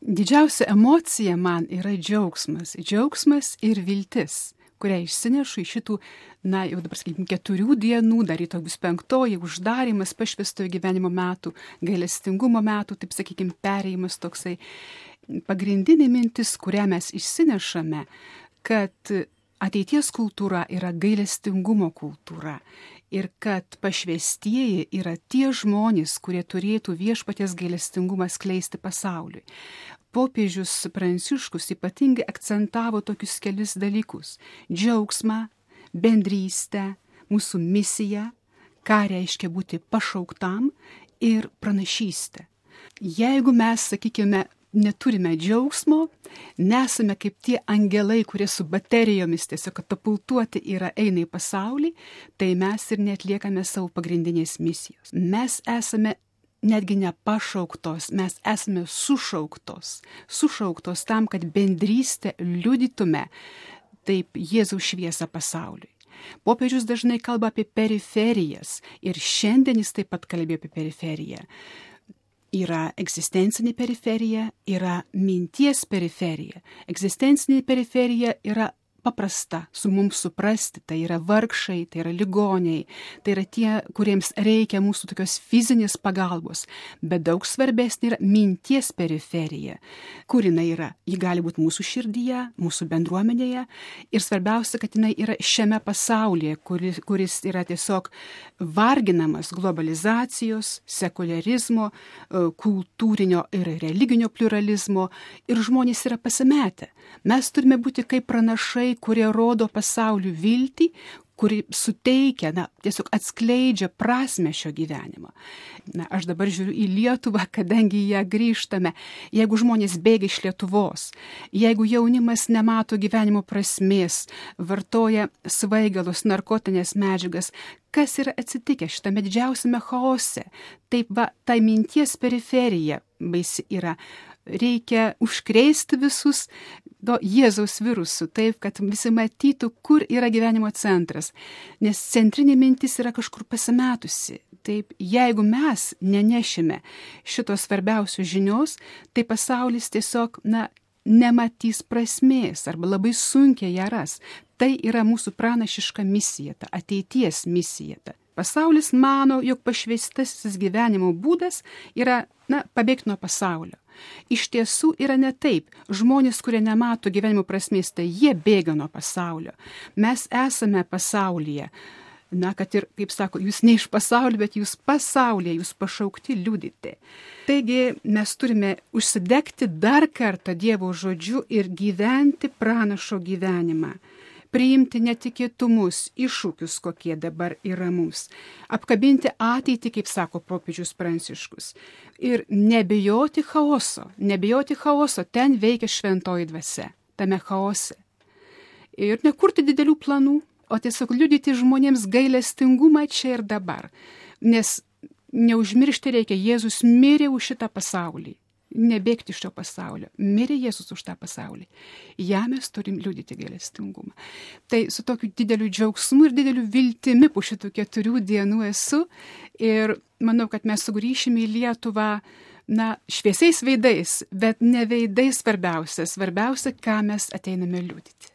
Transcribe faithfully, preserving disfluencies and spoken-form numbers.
Didžiausia emocija man yra džiaugsmas. Džiaugsmas ir viltis, kurią išsinešu iš šitų, na, jau dabar sakykime, keturių dienų, dar rytoj bus penktoji, uždarimas pašvęstojo gyvenimo metų, gailestingumo metų, taip sakykime, perėjimas toksai. Pagrindinė mintis, kurią mes išsinešame, kad ateities kultūra yra gailestingumo kultūra ir kad pašvęstieji yra tie žmonės, kurie turėtų viešpaties gailestingumą skleisti pasauliui. Popiežius Pranciškus ypatingai akcentavo tokius kelis dalykus – džiaugsmą, bendrystę, mūsų misiją, ką reiškia būti pašauktam ir pranašystę. Jeigu mes, sakykime, neturime džiaugsmo, nesame kaip tie angelai, kurie su baterijomis tiesiog katapultuoti yra eina į pasaulį, tai mes ir neatliekame savo pagrindinės misijos. Mes esame netgi nepašauktos, mes esame sušauktos, sušauktos tam, kad bendrystę liudytume taip Jėzaus šviesą pasauliui. Popiežius dažnai kalba apie periferijas ir šiandien jis taip pat kalbėjo apie periferiją. Yra egzistencinė periferija, yra minties periferija. Egzistencinė periferija yra paprasta su mums suprasti, tai yra vargšai, tai yra ligoniai, tai yra tie, kuriems reikia mūsų tokios fizinės pagalbos, bet daug svarbesnė yra minties periferija, kur jinai yra. Ji gali būti mūsų širdyje, mūsų bendruomenėje ir svarbiausia, kad jinai yra šiame pasaulyje, kuris, kuris yra tiesiog varginamas globalizacijos, sekularizmo, kultūrinio ir religinio pluralizmo ir žmonės yra pasimetę. Mes turime būti kaip pranašai, kurie rodo pasauliu viltį, kuri suteikia, na, tiesiog atskleidžia prasmę šio gyvenimo. Na, aš dabar žiūriu į Lietuvą, kadangi ją grįžtame. Jeigu žmonės bėga iš Lietuvos, jeigu jaunimas nemato gyvenimo prasmės, vartoja svaigalus, narkotinės medžiagas, kas yra atsitikę šitame didžiausiame chaose? Taip va, tai minties periferija baisi yra. Reikia užkrėsti visus to Jėzaus virusų, taip, kad visi matytų, kur yra gyvenimo centras. Nes centrinė mintis yra kažkur pasimetusi. Taip, jeigu mes nenešime šitos svarbiausios žinios, tai pasaulis tiesiog, na, nematys prasmės arba labai sunkiai ją ras. Tai yra mūsų pranašiška misija, ta ateities misija. Ta. Pasaulis mano, jog pašvęstasis gyvenimo būdas yra, na, pabėgti nuo pasaulio. Iš tiesų yra ne taip. Žmonės, kurie nemato gyvenimo prasmės, tai jie bėga nuo pasaulio. Mes esame pasaulyje. Na, kad ir, kaip sako, jūs ne iš pasaulio, bet jūs pasaulyje, jūs pašaukti liudyti. Taigi mes turime užsidegti dar kartą Dievo žodžiu ir gyventi pranašo gyvenimą. Priimti netikėtumus, iššūkius, kokie dabar yra mums. Apkabinti ateitį, kaip sako popiežius Pranciškus. Ir nebijoti chaoso. Nebijoti chaoso, ten veikia šventoji dvasia, tame chaose. Ir nekurti didelių planų, o tiesiog liudyti žmonėms gailestingumą čia ir dabar. Nes neužmiršti reikia, Jėzus mirė už šitą pasaulį. Nebėgti iš šio pasaulio. Mirė Jėzus už tą pasaulį. Ja mes turim liudyti gailestingumą. Tai su tokiu dideliu džiaugsmu ir dideliu viltimi po šitų keturių dienų esu ir manau, kad mes sugrįšime į Lietuvą, na, šviesiais veidais, bet ne veidais svarbiausia. Svarbiausia, ką mes ateiname liudyti.